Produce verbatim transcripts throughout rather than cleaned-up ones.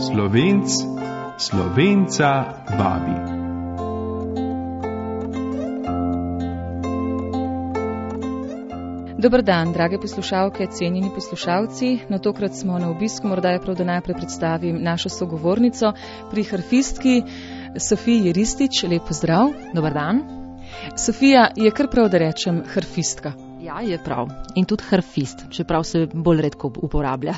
Slovenc Slovenca vabi. Dober dan, drage poslušalke, cenjeni poslušalci. No, tokrat smo na obisku, morda je prav, da najprej predstavim našo sogovornico pri harfistki Sofiji Ristič. Lep pozdrav. Dober dan. Sofija, je kar prav, da rečem harfistka? Ja, je prav. In tudi harfist, čeprav se bolj redko uporablja.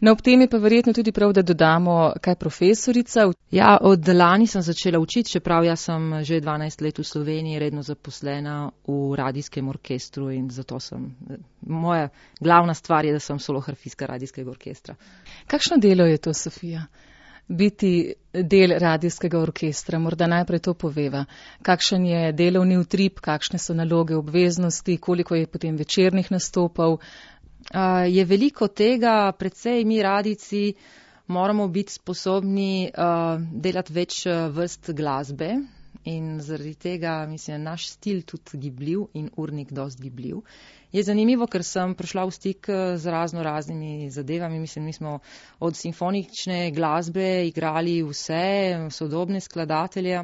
No, ob tem je pa verjetno tudi prav, da dodamo kaj profesorica. Ja, od lani sem začela učiti, čeprav jaz sem že dvanajst let v Sloveniji redno zaposlena v radijskem orkestru in zato sem, moja glavna stvar je, da sem solo harfistka radijskega orkestra. Kakšno delo je to, Sofija? Biti del radijskega orkestra, morda najprej to poveva. Kakšen je delovni utrip, kakšne so naloge, obveznosti, koliko je potem večernih nastopov? Uh, je veliko tega, predvsej mi radijci moramo biti sposobni uh, delati več vrst glasbe in zaradi tega, mislim, naš stil tudi gibljiv in urnik dosti gibljiv. Je zanimivo, ker sem prišla v stik z razno raznimi zadevami, mislim, mi smo od simfonične glasbe igrali vse, sodobne skladatelje.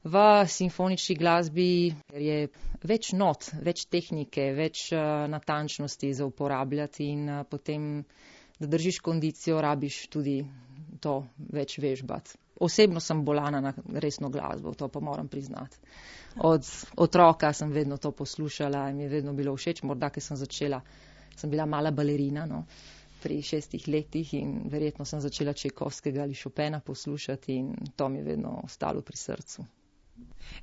V simfonični glasbi je več not, več tehnike, več uh, natančnosti za uporabljati in uh, potem, da držiš kondicijo, rabiš tudi to več vežbati. Osebno sem bolana na resno glasbo, to pa moram priznati. Od otroka sem vedno to poslušala in mi je vedno bilo všeč, morda, ker sem začela, sem bila mala balerina, no, pri šestih letih in verjetno sem začela Čajkovskega ali Chopina poslušati in to mi je vedno ostalo pri srcu.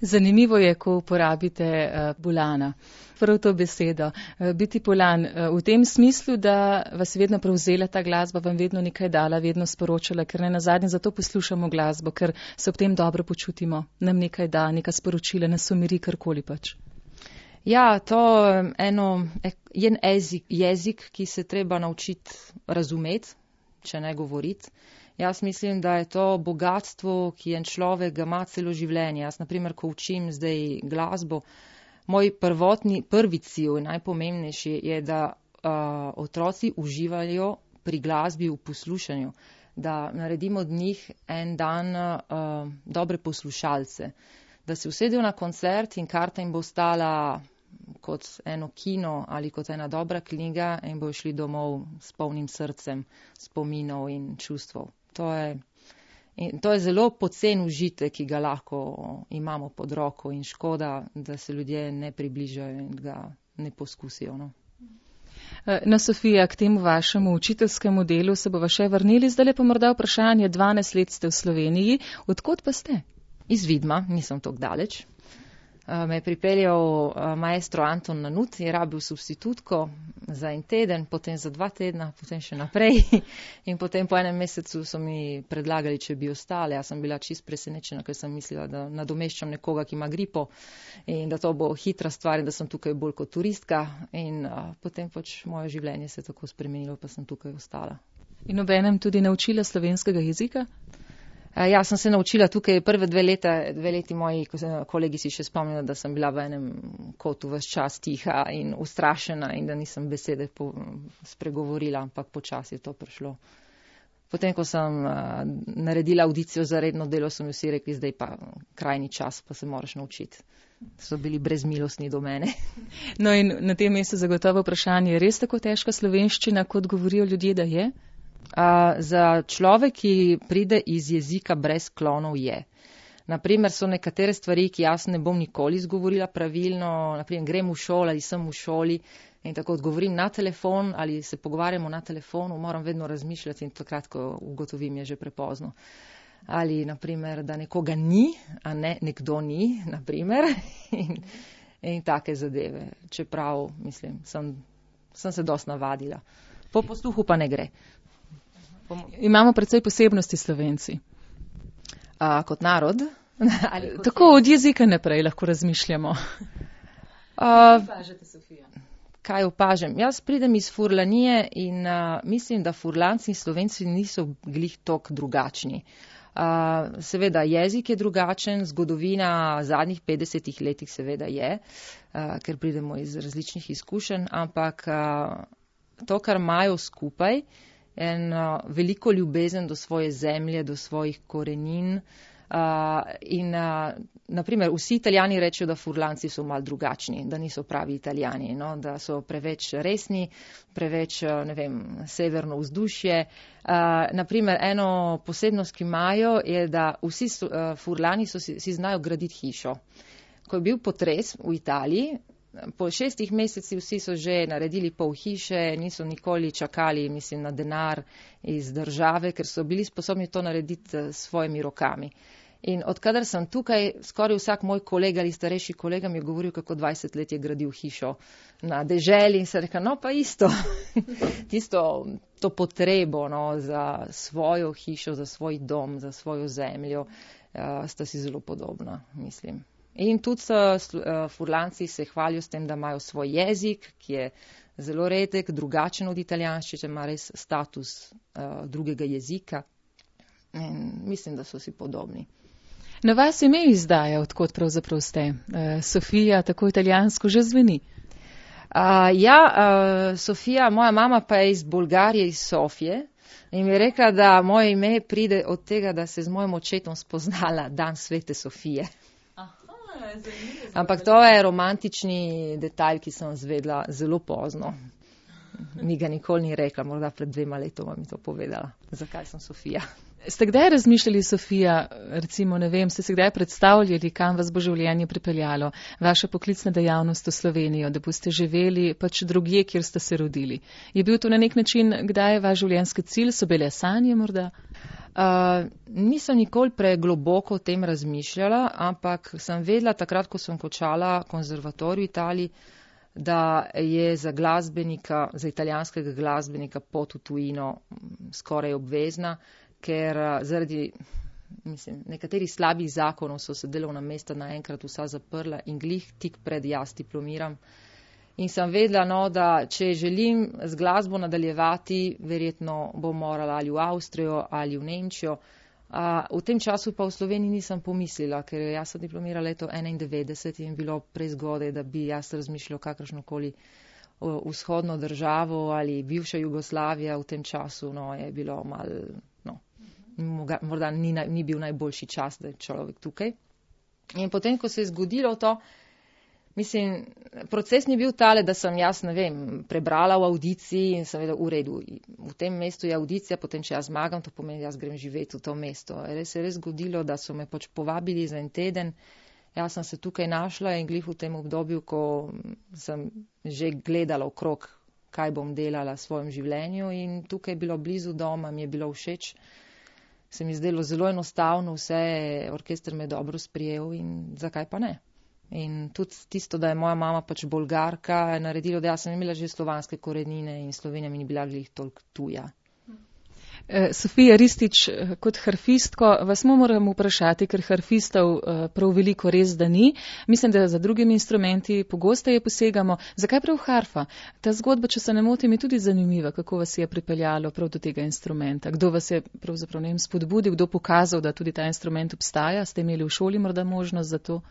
Zanimivo je, ko uporabite uh, bolana, prav to besedo. Uh, biti bolan uh, v tem smislu, da vas vedno prevzela ta glasba, vam vedno nekaj dala, vedno sporočala, ker ne nazadnje zato poslušamo glasbo, ker se ob tem dobro počutimo, nam nekaj da, neka sporočila, nas umiri, karkoli pač. Ja, to eno, je en jezik, jezik, ki se treba naučiti razumeti, če ne govoriti. Jaz mislim, da je to bogatstvo, ki en človek ga ima celo življenje. Jaz, naprimer, ko učim zdaj glasbo, moj prvotni, prvi cilj, najpomembnejši je, da uh, otroci uživajo pri glasbi v poslušanju, da naredimo od njih en dan uh, dobre poslušalce, da se usedejo na koncert in karta jim bo stala kot eno kino ali kot ena dobra knjiga in bojo šli domov s polnim srcem, spominov in čustvov. To je, in to je zelo pocen užitek, ki ga lahko imamo pod roko in škoda, da se ljudje ne približajo in ga ne poskusijo. No, no Sofija, k temu vašemu učiteljskemu delu se bova še vrnili. Zdaj pa morda vprašanje, dvanajst let ste v Sloveniji, odkot pa ste? Iz Vidma, nisem tako daleč. Me je pripeljal maestro Anton Nanut, je rabil substitutko za en teden, potem za dva tedna, potem še naprej in potem po enem mesecu so mi predlagali, če bi ostale. Jaz sem bila čist presenečena, ker sem mislila, da nadomeščam nekoga, ki ima gripo in da to bo hitra stvar in da sem tukaj bolj kot turistka in a, potem pač moje življenje se je tako spremenilo, pa sem tukaj ostala. In obenem tudi naučila slovenskega jezika? Ja, sem se naučila tukaj prve dve leta, dve leti moji kolegi si še spomnijo, da sem bila v enem kotu ves čas tiha in ustrašena in da nisem besede po, spregovorila, ampak počasi je to prišlo. Potem, ko sem uh, naredila audicijo za redno delo, so mi vsi rekli, zdaj pa krajni čas, pa se moraš naučiti. So bili brezmilostni do mene. No in na tem mestu zagotovo vprašanje, je res tako težka slovenščina, kot govorijo ljudje, da je? Uh, za človek, ki pride iz jezika brez klonov, je. Naprimer, so nekatere stvari, ki jaz ne bom nikoli izgovorila pravilno, naprimer, grem v šolo ali sem v šoli in tako odgovorim na telefon ali se pogovarjamo na telefonu, moram vedno razmišljati in takrat, ko ugotovim, je že prepozno. Ali, naprimer, da nekoga ni, a ne nekdo ni, naprimer, in, in take zadeve. Čeprav, mislim, sem, sem se dosti navadila. Po posluhu pa ne gre. Imamo precej posebnosti Slovenci. A, kot narod? Ali kot tako od jezika naprej lahko razmišljamo. A, kaj opažam? Jaz pridem iz Furlanije in a, mislim, da Furlanci in Slovenci niso glih tok drugačni. Uh, seveda jezik je drugačen, zgodovina zadnjih petdesetih letih seveda je, uh, ker pridemo iz različnih izkušenj, ampak uh, to, kar imajo skupaj, en uh, veliko ljubezen do svoje zemlje, do svojih korenin. Uh, in uh, naprimer vsi Italijani rečejo, da Furlanci so malo drugačni, da niso pravi Italijani, no? Da so preveč resni, preveč, ne vem, severno vzdušje. Uh, naprimer eno posebnost, ki imajo, je, da vsi so, uh, Furlani so si, si znajo graditi hišo. Ko je bil potres v Italiji, po šestih mesecih vsi so že naredili pol hiše, niso nikoli čakali, mislim, na denar iz države, ker so bili sposobni to narediti s svojimi rokami. In odkadar sem tukaj, skoraj vsak moj kolega ali starejši kolega mi je govoril, kako dvajset let je gradil hišo na deželi in se reka, no pa isto, tisto, to potrebo, no, za svojo hišo, za svoj dom, za svojo zemljo, uh, sta si zelo podobna, mislim. In tudi uh, Furlanci se hvalijo s tem, da imajo svoj jezik, ki je zelo redek, drugačen od italijanščine, ima res status uh, drugega jezika. In mislim, da so si podobni. Na vas ime izdaja, odkot pravzaprav ste. Uh, Sofija, tako italijansko že zveni. Uh, ja, uh, Sofija, moja mama pa je iz Bolgarije, iz Sofije. In mi je rekla, da moje ime pride od tega, da se z mojim očetom spoznala dan svete Sofije. Ampak to je romantični detalj, ki sem zvedla zelo pozno. Mi ga nikoli ni rekla, morda pred dvema letoma mi to povedala. Zakaj sem Sofija? Ste kdaj razmišljali, Sofija, recimo, ne vem, ste se kdaj predstavljali, kam vas bo življenje pripeljalo, vaša poklicna dejavnost v Slovenijo, da boste živeli pač drugje, kjer ste se rodili? Je bil to na nek način, kdaj je vaš življenjski cilj, so bile sanje morda? Uh, nisem nikoli pregloboko o tem razmišljala, ampak sem vedela takrat, ko sem končala konzervatorij v Italiji, da je za glasbenika, za italijanskega glasbenika pot v tujino skoraj obvezna, ker uh, zaradi mislim, nekaterih slabih zakonov so se delovna mesta naenkrat vsa zaprla in glih tik pred jaz diplomiram. In sem vedela, no, da če želim z glasbo nadaljevati, verjetno bom morala ali v Avstrijo ali v Nemčijo. A, v tem času pa v Sloveniji nisem pomislila, ker jaz sem diplomirala leto enaindevetdeset in bilo prezgodaj, da bi jaz razmišljala kakršnokoli vzhodno državo ali bivša Jugoslavija v tem času, no, je bilo malo, no, morda ni, ni bil najboljši čas, da je človek tukaj. In potem, ko se je zgodilo to, mislim, proces ni bil tale, da sem jaz, ne vem, prebrala v audiciji in sem vedela, v redu, v tem mestu je audicija, potem če jaz zmagam, to pomeni, jaz grem živeti v to mesto. Res je res zgodilo, da so me pač povabili za en teden, jaz sem se tukaj našla in glih v tem obdobju, ko sem že gledala okrog, kaj bom delala v svojem življenju in tukaj je bilo blizu doma, mi je bilo všeč. Se mi zdelo zelo enostavno, vse, orkester me je dobro sprijel in zakaj pa ne. In tudi tisto, da je moja mama pač Bolgarka, je naredilo, da jaz sem imela že slovanske korenine in Slovenija mi ni bila glih toliko tuja. Sofija Ristić, kot harfistko, vas moram vprašati, ker harfistov prav veliko res da ni. Mislim, da za drugimi instrumenti pogosteje posegamo. Zakaj prav harfa? Ta zgodba, če se ne motim, je tudi zanimiva, kako vas je pripeljalo prav do tega instrumenta. Kdo vas je pravzaprav ne vem, spodbudil, kdo pokazal, da tudi ta instrument obstaja? Ste imeli v šoli morda možnost za to?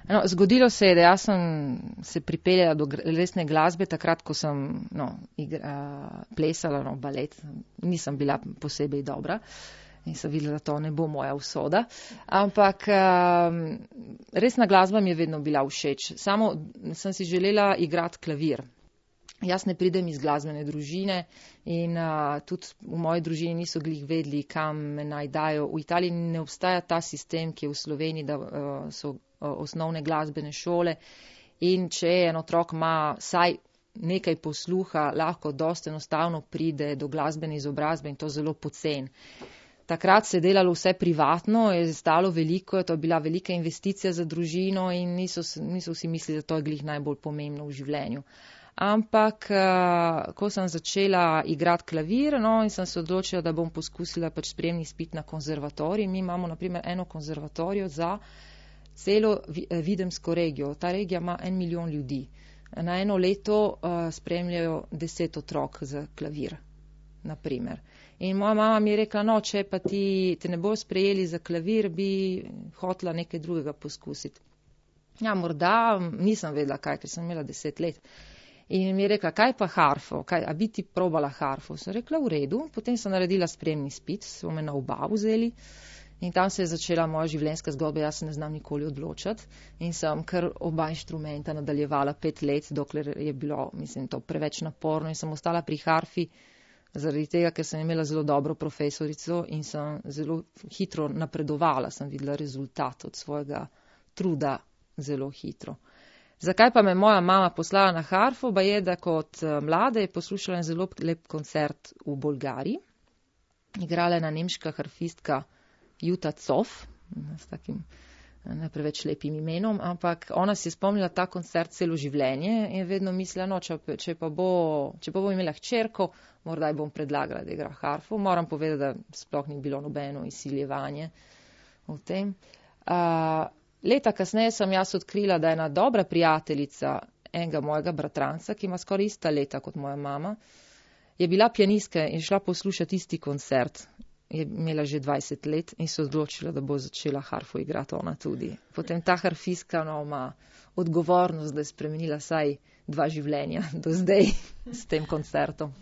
No, zgodilo se je, da jaz sem se pripeljala do resne glasbe takrat, ko sem no, igra, plesala no, balet. Nisem bila posebej dobra in sem videla, da to ne bo moja usoda. Ampak um, resna glasba mi je vedno bila všeč. Samo sem si želela igrati klavir. Jaz ne pridem iz glasbene družine in uh, tudi v moji družini niso glih vedeli, kam me naj dajo. V Italiji ne obstaja ta sistem, ki je v Sloveniji, da uh, so osnovne glasbene šole in če en otrok ima saj nekaj posluha, lahko dosti enostavno pride do glasbene izobrazbe in to zelo pocen. Takrat se je delalo vse privatno, je stalo veliko, to je bila velika investicija za družino in niso, niso vsi mislili, da to je glih najbolj pomembno v življenju. Ampak, ko sem začela igrati klavir, no, in sem se odločila, da bom poskusila pač sprejemni izpit na konzervatorij. Mi imamo naprimer eno konzervatorijo za celo Videmsko regijo. Ta regija ima en milijon ljudi. Na eno leto uh, spremljajo deset otrok za klavir, naprimer. In moja mama mi je rekla, no, če pa ti te ne bo sprejeli za klavir, bi hotela nekaj drugega poskusiti. Ja, morda, nisem vedela kaj, ker sem imela deset let. In mi je rekla, kaj pa harfo, kaj, a bi ti probala harfo? Sem rekla, v redu, potem sem naredila spremni izpit, so me na oba vzeli in tam se je začela moja življenjska zgodba, jaz se ne znam nikoli odločati in sem kar oba inštrumenta nadaljevala pet let, dokler je bilo, mislim, to preveč naporno in sem ostala pri harfi zaradi tega, ker sem imela zelo dobro profesorico in sem zelo hitro napredovala, sem videla rezultat od svojega truda zelo hitro. Zakaj pa me moja mama poslala na harfo, ba je, da kot mlada je poslušala en zelo lep koncert v Bolgariji. Igrala je ena nemška harfistka Jutta Zoff, s takim ne preveč lepim imenom, ampak ona si je spomnila ta koncert celo življenje in vedno mislila, no, če, če, pa bo, če pa bom imela hčerko, morda ji bom predlagala, da igra harfo. Moram povedati, da sploh ni bilo nobeno izsiljevanje v tem. Uh, Leta kasneje sem jaz odkrila, da je ena dobra prijateljica enega mojega bratranca, ki ima skoraj ista leta kot moja mama, je bila pianistka in šla poslušati isti koncert. Je imela že dvajset let in se odločila, da bo začela harfo igrati ona tudi. Potem ta harfistka no, ima odgovornost, da je spremenila saj dva življenja do zdaj s tem koncertom.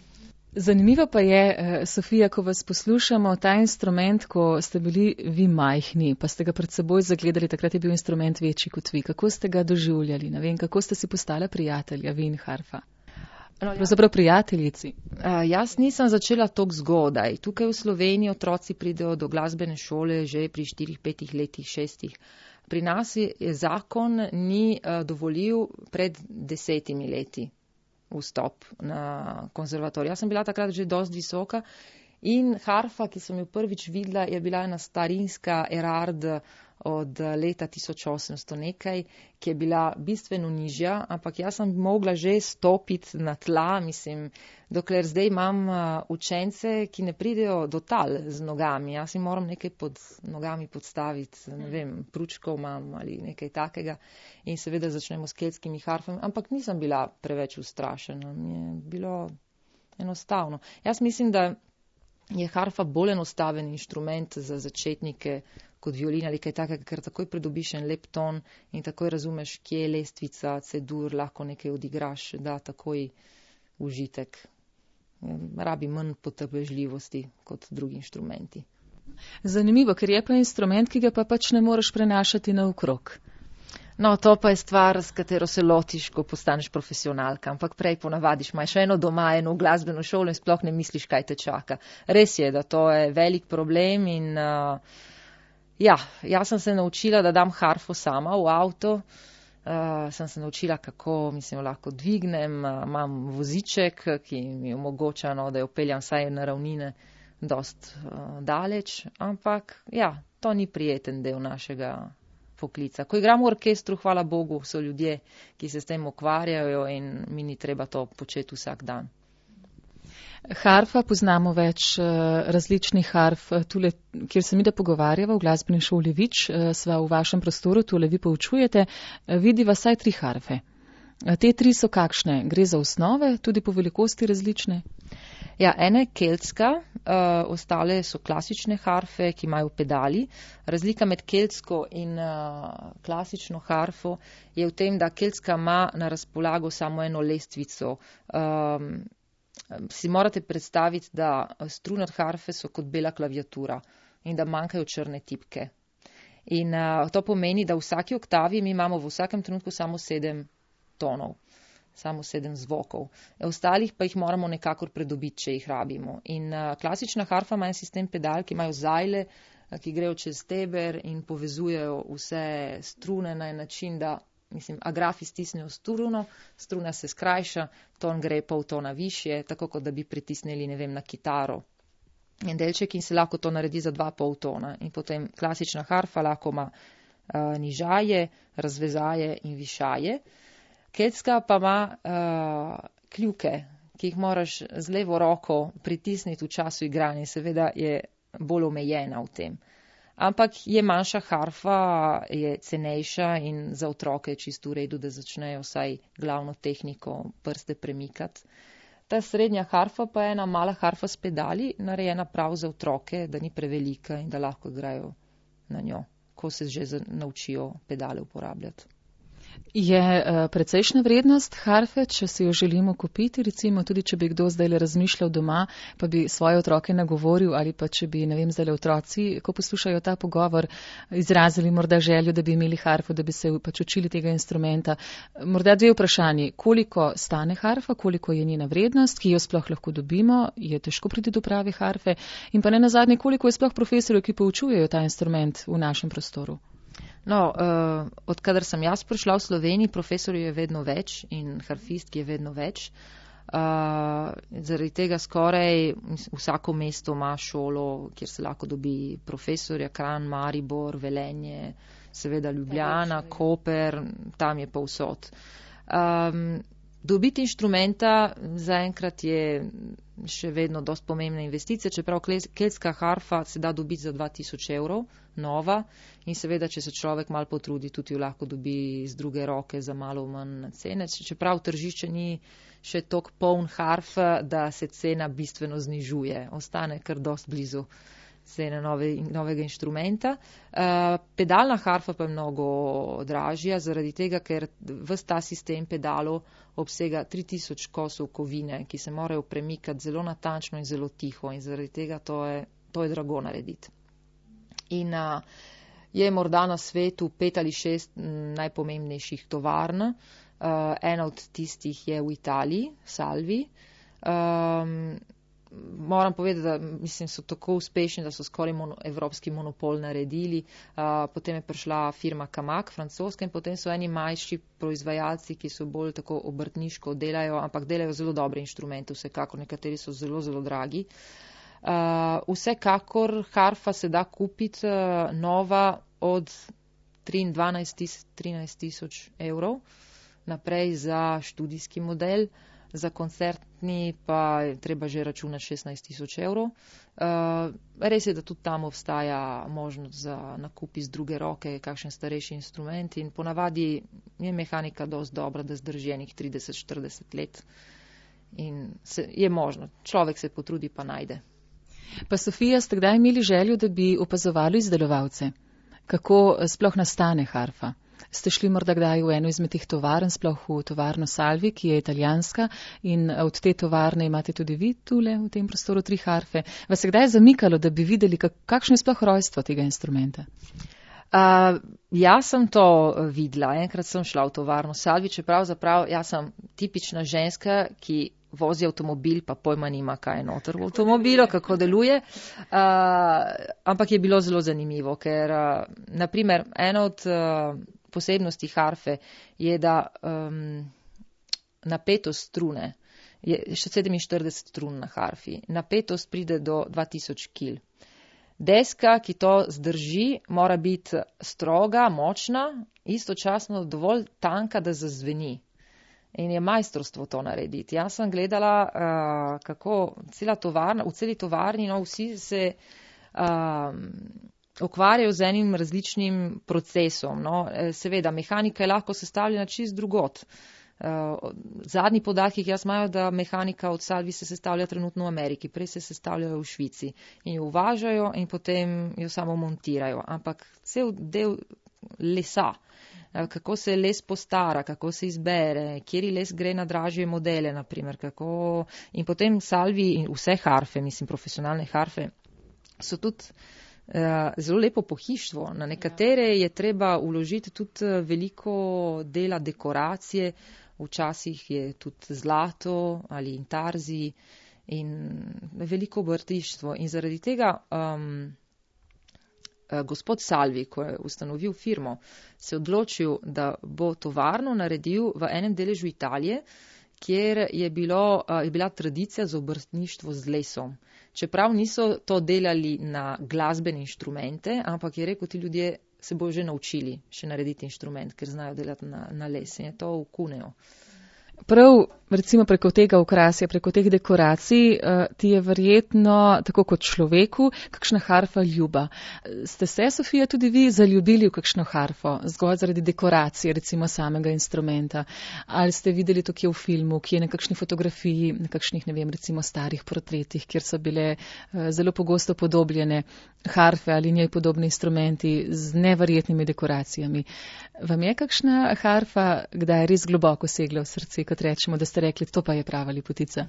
Zanimivo pa je, Sofija, ko vas poslušamo, ta instrument, ko ste bili vi majhni, pa ste ga pred seboj zagledali, takrat je bil instrument večji kot vi. Kako ste ga doživljali? Ne vem, kako ste si postala prijatelja, vi in harfa? No, pravzaprav prijateljici. Uh, jaz nisem začela toliko zgodaj. Tukaj v Sloveniji otroci pridejo do glasbene šole že pri štirih, petih letih, šestih. Pri nas je zakon ni uh, dovolil pred desetimi leti vstop na konzervatorij. Jaz sem bila takrat že dosti visoka in harfa, ki sem jo prvič videla, je bila ena starinska Erard od leta tisoč osemsto nekaj, ki je bila bistveno nižja, ampak jaz sem mogla že stopiti na tla, mislim, dokler zdaj imam učence, ki ne pridejo do tal z nogami. Jaz jim moram nekaj pod nogami podstaviti, ne vem, pručkov imam ali nekaj takega in seveda začnemo s keltskimi harfami, ampak nisem bila preveč ustrašena, mi je bilo enostavno. Jaz mislim, da je harfa bolj enostaven inštrument za začetnike kot violina ali kaj takega, ker takoj pridobiš en lep ton in takoj razumeš, kje je lestvica, cedur, lahko nekaj odigraš, da takoj užitek. Rabi manj potrpežljivosti kot drugi inštrumenti. Zanimivo, ker je pa instrument, ki ga pa pač ne moreš prenašati naokrog. No, to pa je stvar, s katero se lotiš, ko postaneš profesionalka, ampak prej ponavadiš, imaš eno doma, eno glasbeno šolo in sploh ne misliš, kaj te čaka. Res je, da to je velik problem in uh, ja, jaz sem se naučila, da dam harfo sama v avto, uh, sem se naučila, kako, mislim, lahko dvignem, uh, imam voziček, ki mi omogoča, no, da jo peljam vsaj na ravnine dost uh, daleč, ampak ja, to ni prijeten del našega poklica. Ko igram v orkestru, hvala Bogu, so ljudje, ki se s tem ukvarjajo in mi ni treba to početi vsak dan. Harfa, poznamo več uh, različnih harf, tule, kjer se mi da pogovarjava v glasbeni šoli Vič, uh, sva v vašem prostoru, tule vi poučujete, uh, vidiva vsaj tri harfe. Uh, te tri so kakšne? Gre za osnove, tudi po velikosti različne? Ja, ena je keltska, uh, ostale so klasične harfe, ki imajo pedali. Razlika med keltsko in uh, klasično harfo je v tem, da keltska ima na razpolago samo eno lestvico. Um, si morate predstaviti, da strune od harfe so kot bela klaviatura in da manjkajo črne tipke. In uh, to pomeni, da v vsaki oktavi mi imamo v vsakem trenutku samo sedem tonov. Samo sedem zvokov. Ostalih pa jih moramo nekakor predobiti, če jih rabimo. In uh, klasična harfa ima en sistem pedal, ki imajo zajle, uh, ki grejo čez steber in povezujejo vse strune na en način, da, mislim, agrafi stisnejo struno, struna se skrajša, ton gre pol tona višje, tako kot da bi pritisnili, ne vem, na kitaro. En delček in se lahko to naredi za dva pol tona. In potem klasična harfa lahko ima uh, nižaje, razvezaje in višaje. Keltska pa ima uh, kljuke, ki jih moraš z levo roko pritisniti v času igranja. Seveda je bolj omejena v tem. Ampak je manjša harfa, je cenejša in za otroke je čisto v redu, da začnejo vsaj glavno tehniko prste premikati. Ta srednja harfa pa je ena mala harfa s pedali, narejena prav za otroke, da ni prevelika in da lahko igrajo na njo, ko se že naučijo pedale uporabljati. Je uh, precejšnja vrednost harfe, če si jo želimo kupiti, recimo tudi, če bi kdo zdaj razmišljal doma, pa bi svoje otroke nagovoril ali pa če bi, ne vem, zdaj otroci, ko poslušajo ta pogovor, izrazili morda željo, da bi imeli harfo, da bi se pač učili tega instrumenta. Morda dve vprašanji, koliko stane harfa, koliko je njena vrednost, ki jo sploh lahko dobimo, je težko priti do prave harfe in pa ne nazadnje, koliko je sploh profesorjev, ki poučujejo ta instrument v našem prostoru. No, uh, odkadar sem jaz prišla v Sloveniji, profesorjev je vedno več in harfistk je vedno več. Uh, zaradi tega skoraj vsako mesto ima šolo, kjer se lahko dobi profesorja, Kranj, Maribor, Velenje, seveda Ljubljana, Koper, tam je povsod. Um, dobiti inštrumenta zaenkrat je še vedno dosti pomembna investicija, čeprav keltska harfa se da dobiti za dva tisoč evrov, nova, in seveda, če se človek malo potrudi, tudi jo lahko dobi z druge roke za malo manj cene, čeprav tržišče ni še toliko poln harf, da se cena bistveno znižuje, ostane kar dosti blizu cene nove, novega inštrumenta. Uh, pedalna harfa pa je mnogo dražja, zaradi tega, ker ves ta sistem pedalov obsega tri tisoč kosov kovine, ki se morajo premikati zelo natančno in zelo tiho in zaradi tega to je, to je drago narediti. In uh, je morda na svetu pet ali šest najpomembnejših tovarn. Uh, ena od tistih je v Italiji, Salvi. Um, moram povedati, da mislim, so tako uspešni, da so skoraj mono, evropski monopol naredili. Uh, potem je prišla firma Kamak, francoska, in potem so eni manjši proizvajalci, ki so bolj tako obrtniško delajo, ampak delajo zelo dobre inštrumente, vsekakor nekateri so zelo, zelo dragi. Uh, vsekakor harfa se da kupiti uh, nova od trinajst tisoč evrov naprej za študijski model, za koncertni pa je treba že računati šestnajst tisoč evrov. Uh, res je, da tudi tam obstaja možnost za nakup iz druge roke, kakšen starejši instrument in ponavadi je mehanika dosti dobra, da zdrži enih trideset štirideset let in se, je možno, človek se potrudi pa najde. Pa Sofija, ste kdaj imeli željo, da bi opazovali izdelovalce? Kako sploh nastane harfa? Ste šli morda kdaj v eno izmed teh tovarn, sploh v tovarno Salvi, ki je italijanska in od te tovarne imate tudi vi tule v tem prostoru tri harfe. Vas je kdaj zamikalo, da bi videli, kakšno je sploh rojstvo tega instrumenta? Uh, jaz sem to videla. Enkrat sem šla v tovarno Salvi, čeprav zaprav jaz sem tipična ženska, ki vozi avtomobil, pa pojma nima, kaj je noter v avtomobilu, kako deluje. Uh, ampak je bilo zelo zanimivo, ker uh, naprimer ena od uh, posebnosti harfe je, da um, napetost strune, je še sedeminštirideset strun na harfi, napetost pride do dva tisoč kil. Deska, ki to zdrži, mora biti stroga, močna, istočasno dovolj tanka, da zazveni. In je majstorstvo to narediti. Jaz sem gledala, uh, kako cela tovarna, v celi tovarni, no, vsi se uh, ukvarjajo z enim različnim procesom. No. Seveda, mehanika je lahko sestavljena čist drugot. Uh, zadnji podatki, ki jaz imajo, da mehanika od Salvi se sestavlja trenutno v Ameriki, prej se sestavljajo v Švici in jo uvažajo in potem jo samo montirajo. Ampak cel del lesa, kako se les postara, kako se izbere, kjeri les gre na dražje modele, naprimer, kako in potem Salvi in vse harfe, mislim, profesionalne harfe, so tudi uh, zelo lepo pohištvo. Na nekatere je treba vložiti tudi veliko dela dekoracije, včasih je tudi zlato ali intarzi in veliko obrtištvo. In zaradi tega um, gospod Salvi, ko je ustanovil firmo, se odločil, da bo tovarno naredil v enem deležu Italije, kjer je, bilo, je bila tradicija za obrtništvo z lesom. Čeprav niso to delali na glasbene inštrumente, ampak je rekel, ti ljudje se bojo že naučili še narediti inštrument, ker znajo delati na, na les in je to v Cuneo. Prav Recimo preko tega okrasja, preko teh dekoracij, ti je verjetno, tako kot človeku, kakšna harfa ljuba. Ste se, Sofija, tudi vi zaljubili v kakšno harfo, zgolj zaradi dekoracije, recimo samega instrumenta? Ali ste videli to kje v filmu, kje na kakšni fotografiji, na kakšnih, ne vem, recimo starih portretih, kjer so bile zelo pogosto podobljene harfe ali njej podobni instrumenti z neverjetnimi dekoracijami? Vam je kakšna harfa kdaj res globoko segla v srce, kot rečemo, da ste rekli, to pa je prava lepotica?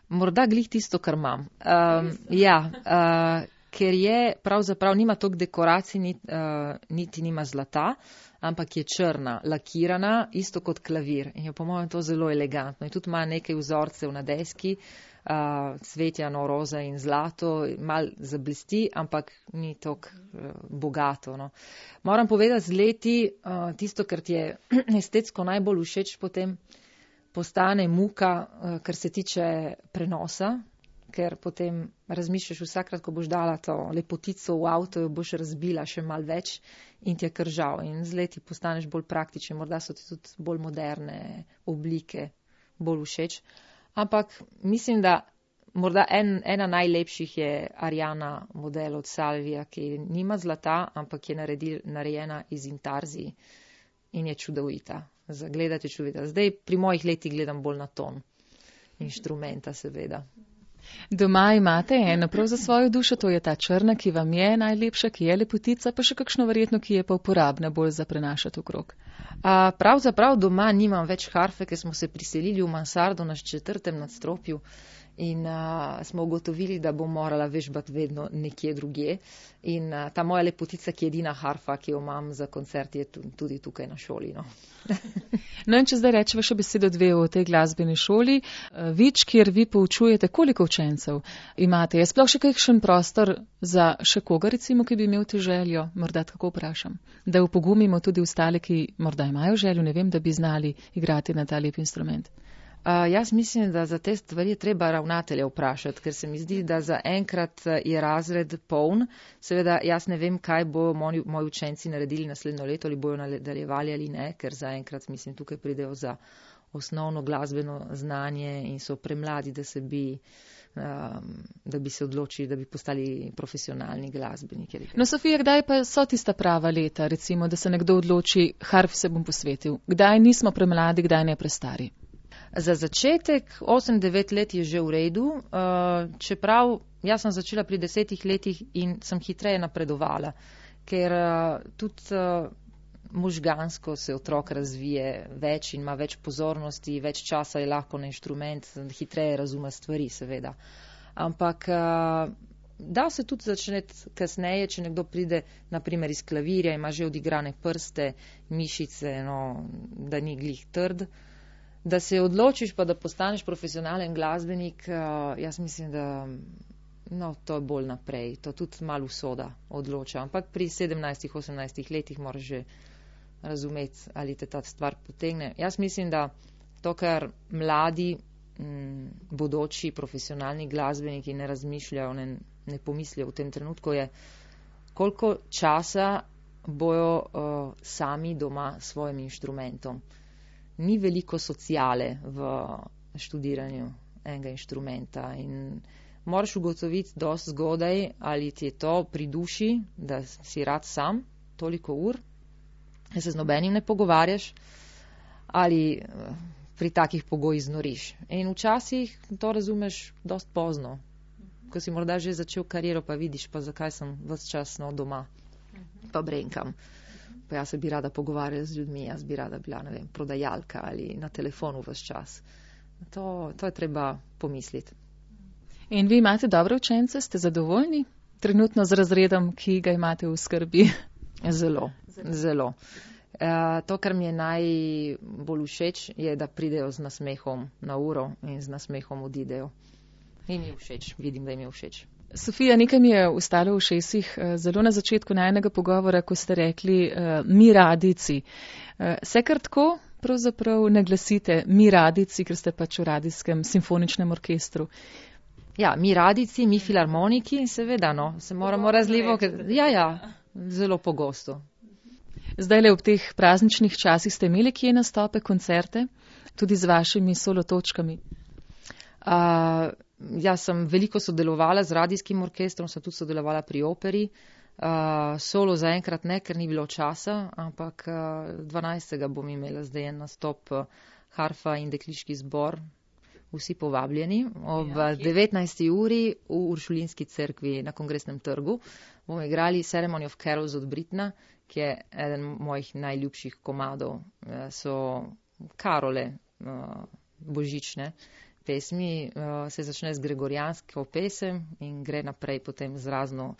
Morda glih tisto, kar imam. Um, ja, uh, ker je pravzaprav nima toliko dekoracij, niti, uh, niti nima zlata, ampak je črna, lakirana, isto kot klavir. In je po mojem to zelo elegantno. In tudi ima nekaj vzorcev na deski, uh, cvetjano, roza in zlato, mal zablisti, ampak ni toliko uh, bogato. No. Moram povedati z leti, uh, tisto, kar ti je estetsko najbolj všeč, potem postane muka, uh, kar se tiče prenosa, ker potem razmišljaš vsakrat, ko boš dala to lepotico v avto, jo boš razbila še mal več in ti je kar žal. In z leti postaneš bolj praktičen, morda so ti tudi bolj moderne oblike bolj všeč. Ampak mislim, da morda en, ena najlepših je Ariana model od Salvija, ki nima zlata, ampak je naredil, narejena iz intarzij in je čudovita. Za gledati je čudovita. Zdaj pri mojih letih gledam bolj na ton inštrumenta, seveda. Doma imate eno prav za svojo dušo, to je ta črna, ki vam je najlepša, ki je lepotica, pa še kakšno verjetno, ki je pa uporabna bolj za prenašati okrog. A, pravzaprav doma nimam več harfe, ker smo se priselili v mansardo na četrtem nadstropju in a, smo ugotovili, da bom morala vežbati vedno nekje drugje. In a, ta moja lepotica, ki je edina harfa, ki jo imam za koncert, je tudi tukaj na šoli. No. No in če zdaj rečeva še besedo dve o tej glasbeni šoli, Vič, kjer vi poučujete, koliko učencev imate? Je sploh še kakšen prostor za še koga, recimo, ki bi imel ti željo? Morda tako vprašam. Da upogumimo tudi ostale, ki morda imajo željo, ne vem, da bi znali igrati na ta lep instrument. Uh, jaz mislim, da za te stvari je treba ravnatelja vprašati, ker se mi zdi, da za enkrat je razred poln. Seveda, jaz ne vem, kaj bo moji, moji učenci naredili naslednjo leto, ali bojo nadaljevali ali ne, ker za enkrat, mislim, tukaj pridejo za osnovno glasbeno znanje in so premladi, da se bi, um, da bi se odločili, da bi postali profesionalni glasbeniki. No, Sofija, kdaj pa so tista prava leta, recimo, da se nekdo odloči, harf se bom posvetil? Kdaj nismo premladi, kdaj ne prestari? Za začetek, osem devet let je že v redu, čeprav jaz sem začela pri desetih letih in sem hitreje napredovala, ker tudi možgansko se otrok razvije več in ima več pozornosti, več časa je lahko na inštrument, hitreje razume stvari, seveda. Ampak da se tudi začeti kasneje, če nekdo pride, naprimer iz klavirja, ima že odigrane prste, mišice, no, da ni glih trd. Da se odločiš pa, da postaneš profesionalen glasbenik, jaz mislim, da no, to je bolj naprej. To tudi malo usoda odloča. Ampak pri sedemnajstih, osemnajstih letih moraš že razumeti, ali te ta stvar potegne. Jaz mislim, da to, kar mladi, m, bodoči profesionalni glasbeniki ne razmišljajo, ne, ne pomislijo v tem trenutku, je, koliko časa bojo uh, sami doma s svojim inštrumentom. Ni veliko sociale v študiranju enega inštrumenta in moraš ugotoviti dosti zgodaj, ali ti je to pri duši, da si rad sam toliko ur, da se z nobenim ne pogovarjaš, ali pri takih pogojih znoriš. In včasih to razumeš dosti pozno, ko si morda že začel kariero, pa vidiš, pa zakaj sem ves čas no, doma, pa brenkam. Pa jaz se bi rada pogovarjala z ljudmi, jaz bi rada bila, ne vem, prodajalka ali na telefonu ves čas. To, to je treba pomisliti. In vi imate dobre učence, ste zadovoljni trenutno z razredom, ki ga imate v skrbi? Zelo, zelo. E, to, kar mi je najbolj všeč, je, da pridejo z nasmehom na uro in z nasmehom odidejo. In mi je všeč, vidim, da jim je všeč. Sofija, nekaj mi je ustalo v šesih zelo na začetku najnega pogovora, ko ste rekli uh, mi radici. Uh, se kar tako pravzaprav naglasite mi radici, ker ste pač v radijskem simfoničnem orkestru? Ja, mi radici, mi filharmoniki, seveda, no, se moramo razlivo, ker, ja, ja, zelo pogosto. Zdaj le ob teh prazničnih časih ste imeli kje nastope, koncerte, tudi z vašimi solo točkami? Uh, jaz sem veliko sodelovala z radijskim orkestrom, sem tudi sodelovala pri operi. Uh, solo zaenkrat ne, ker ni bilo časa, ampak uh, dvanajstega bom imela zdaj en nastop uh, harfa in dekliški zbor. Vsi povabljeni ob ja, devetnajsti uri v Uršulinski cerkvi na Kongresnem trgu. Bomo igrali Ceremony of Carols od Britna, ki je eden mojih najljubših komadov. Uh, so karole uh, božične pesmi, uh, se začne z gregorijansko pesem in gre naprej potem z razno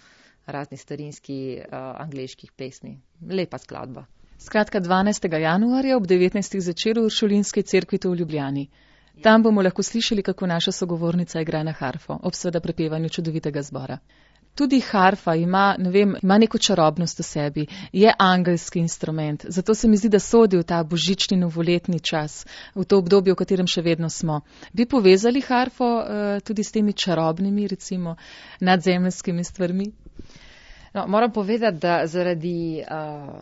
razni starinski uh, angleških pesmi. Lepa skladba. Skratka, dvanajstega januarja ob devetnajstih zvečer v Uršulinski cerkvi tu v Ljubljani. Tam bomo lahko slišali, kako naša sogovornica igra na harfo, ob seveda prepevanju čudovitega zbora. Tudi harfa ima, ne vem, ima neko čarobnost v sebi, je angelski instrument, zato se mi zdi, da sodi v ta božični novoletni čas, v to obdobje, v katerem še vedno smo. Bi povezali harfo uh, tudi s temi čarobnimi, recimo, nadzemeljskimi stvarmi? No, moram povedati, da zaradi uh,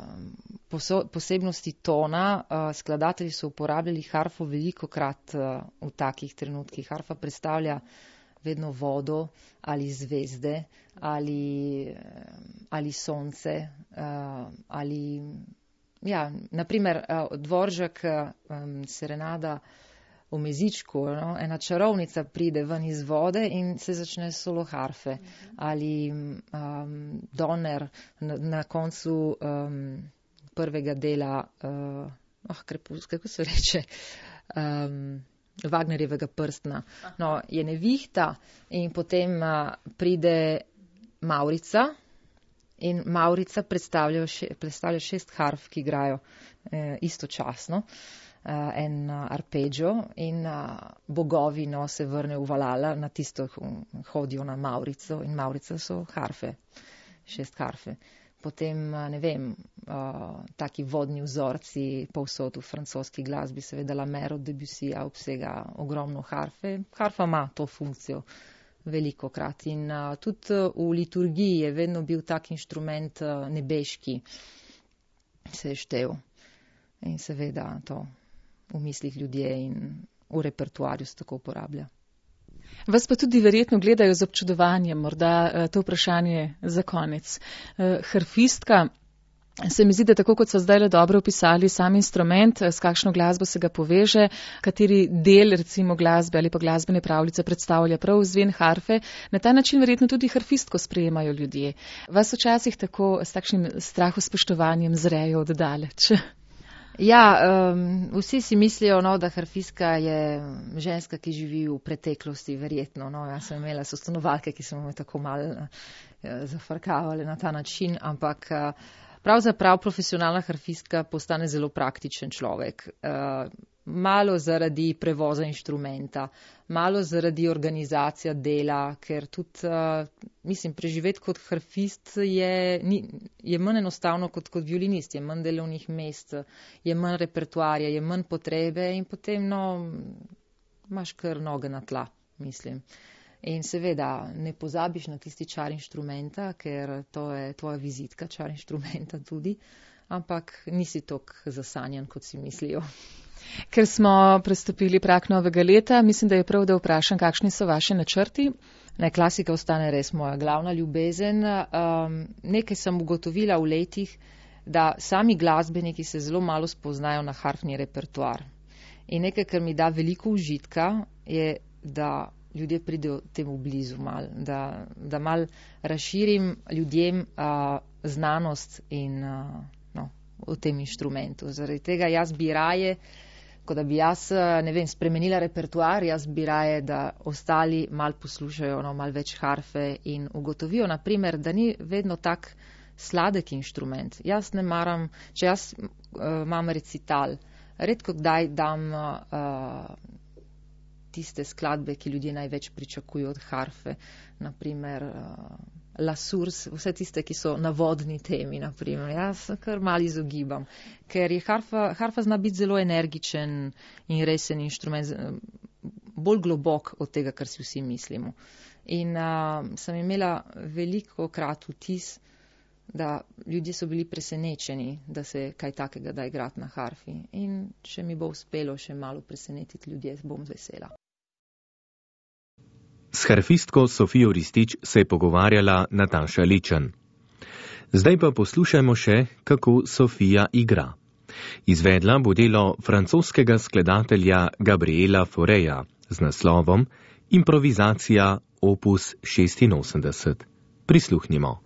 poso, posebnosti tona uh, skladatelji so uporabljali harfo veliko krat uh, v takih trenutkih. Harfa predstavlja vedno vodo ali zvezde ali, ali sonce uh, ali, ja, naprimer uh, Dvoržak um, serenada v Mezičku, no? Ena čarovnica pride ven iz vode in se začne solo harfe. Ali um, Donner na, na koncu um, prvega dela, uh, oh, krepus, kako se reče, um, Wagnerjevega prstna. No, je nevihta in potem uh, pride Maurica in Maurica predstavlja, še, predstavlja šest harf, ki igrajo uh, istočasno. Uh, en uh, arpeggio in uh, bogovi no, se vrne v Valala, na tisto hodijo na Maurico in Maurica so harfe, šest harfe. Potem, uh, ne vem, uh, taki vodni vzorci povsod v francoski glasbi, seveda La Mer od Debussyja obsega ogromno harfe. Harfa ima to funkcijo veliko krat in uh, tudi uh, v liturgiji je vedno bil tak inštrument uh, nebeški, se je štev. In seveda to v mislih ljudje in v repertoarju se tako uporablja. Vas pa tudi verjetno gledajo z občudovanjem, morda to vprašanje za konec. Harfistka, se mi zdi, da tako kot so zdaj le dobro opisali sam instrument, s kakšno glasbo se ga poveže, kateri del recimo glasbe ali pa glasbene pravljice predstavlja prav zven harfe, na ta način verjetno tudi harfistko sprejemajo ljudje. Vas včasih tako s takšnim strahospoštovanjem zrejo od daleč. Ja, um, vsi si mislijo, no, da harfistka je ženska, ki živi v preteklosti, verjetno. No, jaz sem imela sostanovalke, ki so me tako malo uh, zafrkavale na ta način, ampak uh, pravzaprav profesionalna harfistka postane zelo praktičen človek. Uh, malo zaradi prevoza inštrumenta, malo zaradi organizacija dela, ker tudi, uh, mislim, preživeti kot harfist je, ni, je manj enostavno kot kot violinist, je manj delovnih mest, je manj repertoarja, je manj potrebe in potem, no, imaš kar noge na tla, mislim. In seveda ne pozabiš na tisti čar inštrumenta, ker to je tvoja vizitka, čar inštrumenta tudi, ampak nisi toliko zasanjan, kot si mislijo. Ker smo prestopili prag novega leta, mislim, da je prav, da vprašam, kakšni so vaši načrti. Ne, klasika ostane res moja glavna ljubezen. Um, nekaj sem ugotovila v letih, da sami glasbeniki se zelo malo spoznajo na harfni repertoar. In nekaj, kar mi da veliko užitka, je, da ljudje pridejo temu blizu mal, da, da mal razširim ljudem uh, znanost in, uh, no, v tem inštrumentu. Zaradi tega jaz bi raje, kot da bi jaz, ne vem, spremenila repertoar, jaz bi raje, da ostali mal poslušajo, no, mal več harfe in ugotovijo, naprimer, da ni vedno tak sladek inštrument. Jaz ne maram, če jaz uh, imam recital, redko kdaj dam uh, tiste skladbe, ki ljudje največ pričakujo od harfe, naprimer uh, La Source, vse tiste, ki so na vodni temi, naprimer. Jaz kar malo izogibam, ker je harfa, harfa zna biti zelo energičen in resen inštrument, bolj globok od tega, kar si vsi mislimo. In uh, sem imela veliko krat vtis, da ljudje so bili presenečeni, da se kaj takega da igrati na harfi. In če mi bo uspelo še malo presenetiti ljudje, bom vesela. S harfistko Sofijo Ristič se je pogovarjala Nataša Ličen. Zdaj pa poslušajmo še, kako Sofija igra. Izvedla bo delo francoskega skladatelja Gabriela Faureja z naslovom Improvizacija opus šestinosemdeset. Prisluhnimo.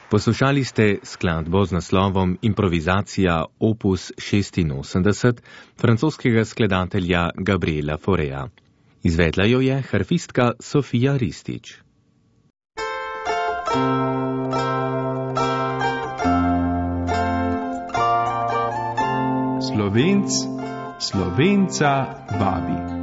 Poslušali ste skladbo z naslovom Improvizacija opus šestinosemdeset francoskega skladatelja Gabriela Faurea. Izvedla jo je harfistka Sofija Ristić. Slovenc, Slovenca vabi.